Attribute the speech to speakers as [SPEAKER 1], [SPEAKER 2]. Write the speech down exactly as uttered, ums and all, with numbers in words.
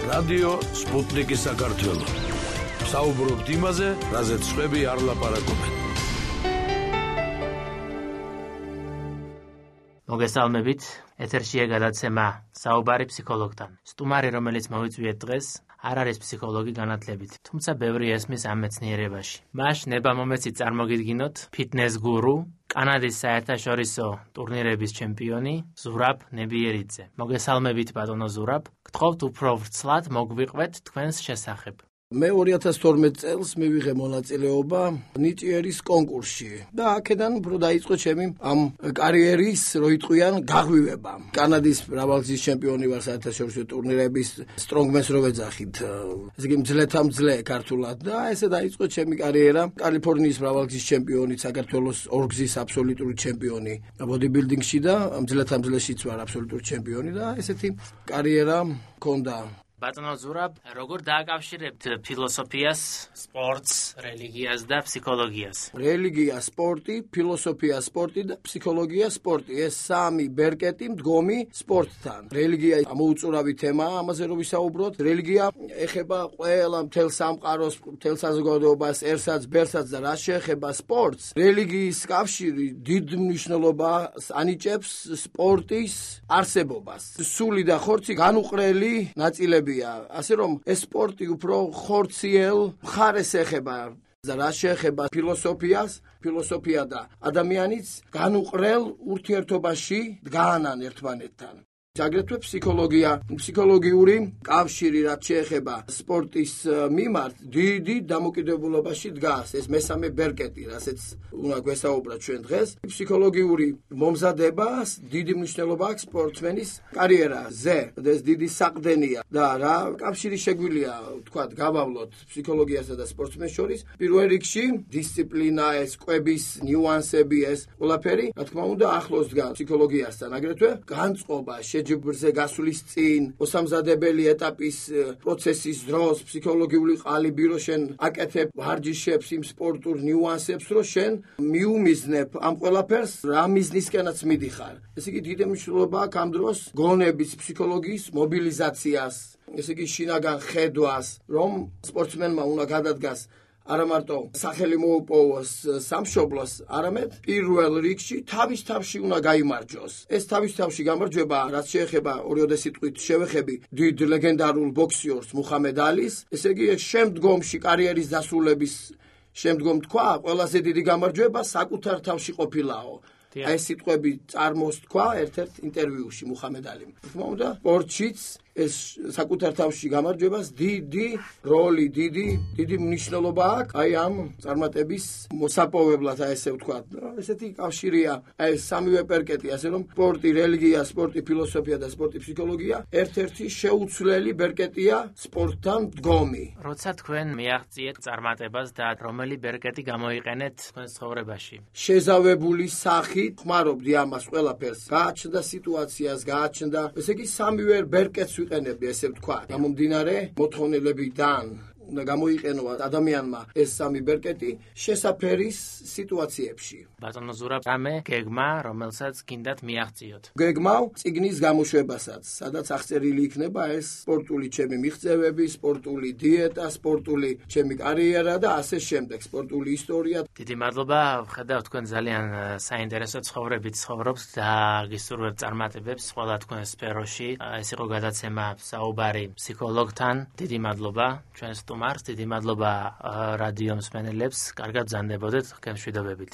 [SPEAKER 1] რადიო სპუტნიკი საქართველო. საუბრობთ იმაზე, რაზეც სხვები არ ლაპარაკობენ.
[SPEAKER 2] მოგესალმებით, ეთერშია გადაცემა საუბარი ფსიქოლოგთან. სტუმარი, რომელიც მოვიწვიეთ დღეს, არ არის ფსიქოლოგი განათლებით, თუმცა ბევრი ესმის ამ მეცნიერებაში. მას ნება-მომეცი წარმოგიდგინოთ ფიტნეს გურუ, კანადის საერთაშორისო ტურნირების ჩემპიონი ზურაბ ნებიერიძე. მოგესალმებით ბატონო ზურაბ, გთხოვთ უფრო ვრცლად მოგვიყვეთ თქვენს შესახებ.
[SPEAKER 3] მე ორი ათას თორმეტ წელს მივიღე მონაწილეობა ნიჭიერის კონკურსში და აქედან უფრო დაიწყო ჩემი ამ კარიერის, რო იტყვიან, გაღვივება. კანადის მრავალგზის ჩემპიონი ვარ საერთაშორისო ტურნირების strongman-ს რო ვეძახით. ესე იგი მძლეთა მძლე ქართულად და ესე დაიწყო ჩემი კარიერა. კალიფორნიის მრავალგზის ჩემპიონი, საქართველოს ორგზის აბსოლუტური ჩემპიონი ბოდიბილდინგში და მძლეთა მძლეშიც ვარ აბსოლუტური ჩემპიონი და ესეთი კარიერა მქონდა.
[SPEAKER 2] ბატონო ზურაბ, როგორ დააკავშირებთ ფილოსოფიას, სპორტს, რელიგიას და ფსიქოლოგიას?
[SPEAKER 3] რელიგია, სპორტი, ფილოსოფია, სპორტი და ფსიქოლოგია, სპორტი. ეს სამი ბერკეტი მდგომი სპორტთან. რელიგია ამოუწურავი თემაა, ამაზე რო ვისაუბროთ. რელიგია ეხება ყველა მთელ სამყაროს, მთელ საზოგადოებას, ერთსაც, ბერსაც და რაც შეეხება სპორტს. რელიგიის კავშირი დიდ მნიშვნელობას ანიჭებს სპორტის არსებობას. სული და ხორცი განუყრელი ნაწილები. ასე რომ ეს სპორტი უფრო ხორციელ მხარეს ეხება და რაც შეეხება ფილოსოფიას, ფილოსოფია და ადამიანიც განუყრელ ურთიერთობაში დგანან ერთმანეთთან. აგრეთვე ფსიქოლოგია, ფსიქოლოგიური კავშირი რაც შეეხება სპორტის მიმართ დიდი დამოკიდებულებაში დგას. ეს მესამე ბერკეტი, რასაც უნდა გვესაუბროთ ჩვენ დღეს. ფსიქოლოგიური მომზადებას დიდი მნიშვნელობა აქვს სპორტსმენის კარიერაზე. ეს დიდი საყრდენია და რა კავშირი შეგვიძლია ვთქვათ, გავავლოთ ფსიქოლოგიასა და სპორტსმენს შორის. პირველ რიგში დისციპლინა, ეს კვების ნიუანსები, ეს ყველაფერი, რა თქმა უნდა, ახლოს დგას ფსიქოლოგიასთან. აგრეთვე განწყობა ჯიბრზე გასulis წინ, მოსამზადებელი ეტაპის პროცესის დროს, ფსიქოლოგიური ყალიბი რო შენ აკეთებ ვარჯიშებს, იმ სპორტულ ნიუანსებს, რო შენ მიუმიზნებ ამ ყველაფერს, რა მიზნისკენაც მიდიხარ. ესე იგი დიდი მნიშვნელობა აქვს ამ დროს გონების, ფსიქოლოგიის მობილიზაციას, ესე იგი შინაგან ხედვას, რომ სპორტსმენმა უნდა გადადგას არა მარტო სახელი მოუპოვოს სამშობლოს, არამედ პირველ რიგში თავის თავში უნდა გაიმარჯოს. ეს თავის თავში გამარჯვება, რაც შეეხება ორიოდე სიტყვით შევეხები დიდ ლეგენდარულ ბოქსიორს მუჰამედ ალის, ესე იგი შემდგომში კარიერის დასრულების შემდგომ თქვა, ყველაზე დიდი გამარჯვება საკუთარ თავში ყოფილაო. აი ეს სიტყვები წარმოსთქვა ერთ-ერთ ინტერვიუში მუჰამედ ალიმ. თქმა უნდა, სპორტშიც ეს საკუთარ თავში გამარჯვებას დიდი როლი, დიდი დიდი მნიშვნელობა აქვს აი ამ წარმატების მოსაპოვებლად, აი ესე ვთქვათ. ესეთი კავშირია, აი ეს სამივე პერკეტი, ასე რომ სპორტი, რელიგია, სპორტი, ფილოსოფია და სპორტი, ფსიქოლოგია ერთ-ერთი შეუცვლელი ბერკეტია სპორტთან მდგომი.
[SPEAKER 2] როცა თქვენ მიაღწიეთ წარმატებას და რომელი ბერკეტი გამოიყენეთ თქვენს ცხოვრებაში?
[SPEAKER 3] შეზავებული სახით ხმარობდი ამას ყველაფერს. გააჩნდა სიტუაციას, გააჩნდა, ესე იგი სამივე ბერკეტს ვიყენებდი, ესე ვთქვა. გამომდინარე მოთხოვნილებიდან უნდა გამოიყენო ადამიანმა ეს სამი ბერკეტი შესაფერის სიტუაციებში.
[SPEAKER 2] ბატონო ზურაბ, რამე გეგმა, რომელსაც გინდათ მიაღწიოთ?
[SPEAKER 3] გეგმავ წიგნის გამოშვებასაც, სადაც აღწერილი იქნება ეს სპორტული ჩემი მიღწევები, სპორტული დიეტა, სპორტული ჩემი კარიერა და ასე შემდეგ, სპორტული ისტორია.
[SPEAKER 2] დიდი მადლობა, ვხედავ თქვენ ძალიან საინტერესო ცხოვრებით ცხოვრობთ და გისურვებთ წარმატებებს ყველა თქვენ სფეროში. ეს იყო გადაცემა საუბარი ფსიქოლოგთან. დიდი მადლობა ჩვენს სტუმარს, დიდი მადლობა რადიო მსმენელებს, კარგად ბრძანდებოდეთ, გემშვიდობებით.